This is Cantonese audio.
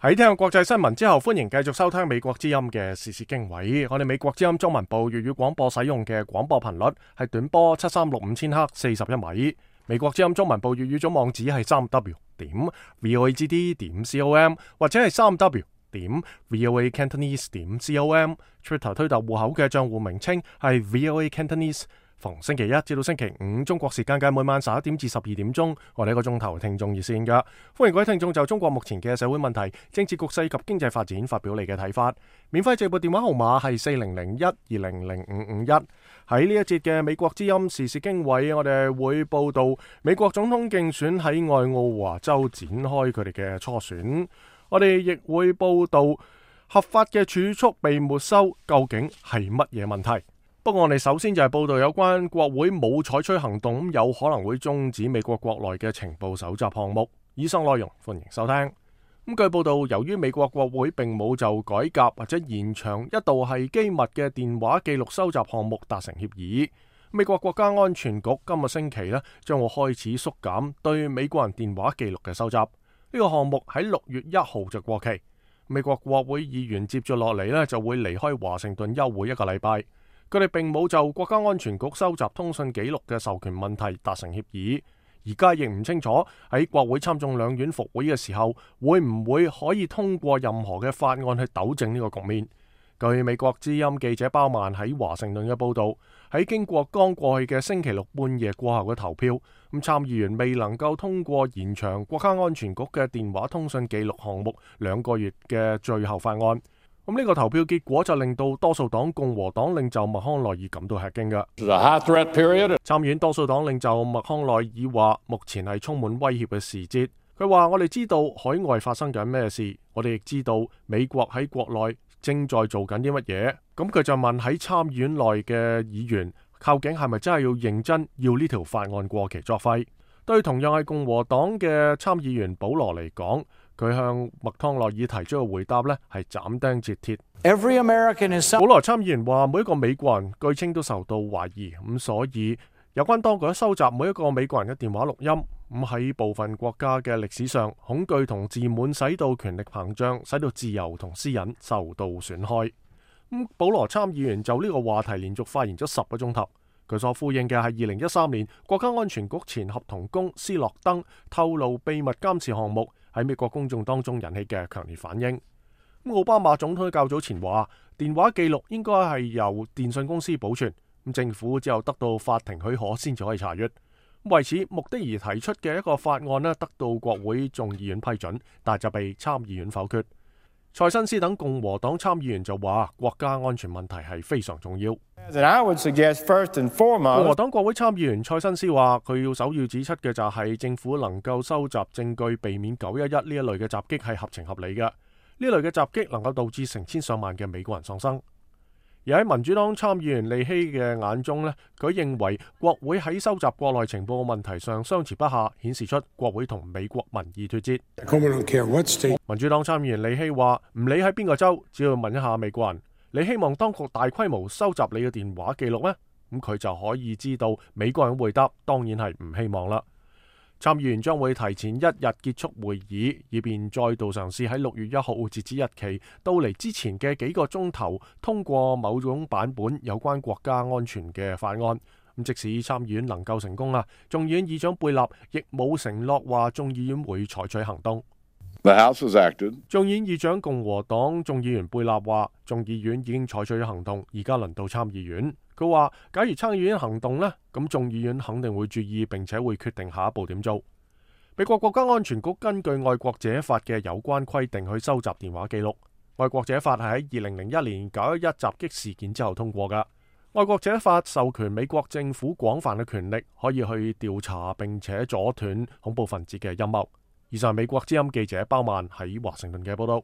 喺聽過國際新聞之後，歡迎繼續收聽美國之音嘅時事經緯。我哋美國之音中文部粵語廣播使用嘅廣播頻率係短波7365千赫41米。美國之音中文部粵語總網址係3w.voagd.com 或者係3w.voacantonese.com。Twitter 推特戶口嘅賬戶名稱係 VOA Cantonese。逢星期一至到星期五中國時間嘅每晚11點至12點鐘，我哋一個鐘頭聽眾熱線㗎。歡迎各位聽眾就中國目前嘅社會問題、政治局勢及經濟發展發表你嘅睇法。免費直播電話號碼係4001200551。喺呢一節嘅美國之音時事經緯，我哋會報道美國總統競選喺愛奧華州展開佢哋嘅初選。我哋亦會報道合法嘅儲蓄被沒收，究竟係乜嘢問題？不過我哋首先就係報道有關國會冇採取行動，有可能會終止美國國內嘅情報搜集項目。以上內容歡迎收聽。據報道，由於美國國會並冇就改革或者延長一度係機密嘅電話記錄收集項目達成協議，美國國家安全局今個星期呢將會開始縮減對美國人電話記錄嘅收集。呢個項目喺6月1號就過期。美國國會議員接住落嚟呢就會離開華盛頓休會一個禮拜。佢哋並冇就國家安全局收集通訊記錄嘅授權問題達成協議，而家亦唔清楚喺國會參眾兩院復會嘅時候，會唔會可以通過任何嘅法案去糾正呢個局面。據美國之音記者包曼喺華盛頓嘅報導，喺經過剛過去嘅星期六半夜過後嘅投票，參議員未能夠通過延長國家安全局嘅電話通訊記錄項目2個月嘅最後法案。呢個投票結果就令到多數黨共和黨領袖麥康奈爾感到吃驚嘅。參院多數黨領袖麥康奈爾話：目前係充滿威脅嘅時節。佢話：我哋知道海外發生緊咩事，我哋亦知道美國喺國內正在做緊啲乜嘢。咁佢就問喺參院內嘅議員，究竟係咪真係要認真要呢條法案過期作廢？對同樣係共和黨嘅參議員保羅嚟講，佢向麥康奈爾提出嘅回答呢係斬釘截鐵。保羅參議員話：每一個美國人據稱都受到懷疑，咁所以有關當局收集每一個美國人嘅電話錄音，咁喺部分國家嘅歷史上，恐懼同自滿使到權力膨脹，使到自由同私隱受到損害。保羅參議員就呢個話題連續發言咗10個鐘頭。佢所呼應嘅係2013年國家安全局前合同工斯諾登透露秘密監視項目喺美國公眾當中引起嘅強烈反應。奧巴馬總統較早前話，電話記錄應該係由電信公司保存，政府只有得到法庭許可先至可以查閱。為此目的而提出嘅一個法案得到國會眾議院批准，但就被參議院否決。塞申斯等共和黨參議員就話，國家安全問題係非常重要。共和黨國會參議員塞申斯話，佢要首要指出嘅就係政府能夠收集證據，避免911呢一類嘅襲擊係合情合理嘅。呢類嘅襲擊能夠導致成千上萬嘅美國人喪生。而喺民主黨參議員利希嘅眼中呢，佢認為國會喺收集國內情報嘅問題上相持不下，顯示出國會同美國民意脫節。民主黨參議員利希話：唔理喺邊個州，只要問一下美國人，你希望當局大規模收集你嘅電話記錄咩？咁佢就可以知道美國人回答當然係唔希望啦。參議員將會提前1日結束會議，以便再度嘗試喺6月1號截止日期到嚟之前嘅幾個鐘頭通過某種版本有關國家安全嘅法案。咁即使參議院能夠成功眾議院議長貝納亦冇承諾話眾議院會採取行動。眾議院議長共和黨眾議員貝納話，眾議院已經採取咗行動，而家輪到參議院。佢話：假如參議院行動呢，咁眾議院肯定會注意，並且會決定下一步點做。美國國家安全局根據愛國者法嘅有關規定去收集電話記錄。愛國者法係喺2001年911襲擊事件之後通過㗎。愛國者法授權美國政府廣泛嘅權力，可以去調查並且阻斷恐怖分子嘅陰謀。以上美國之音記者包曼喺華盛頓嘅報道。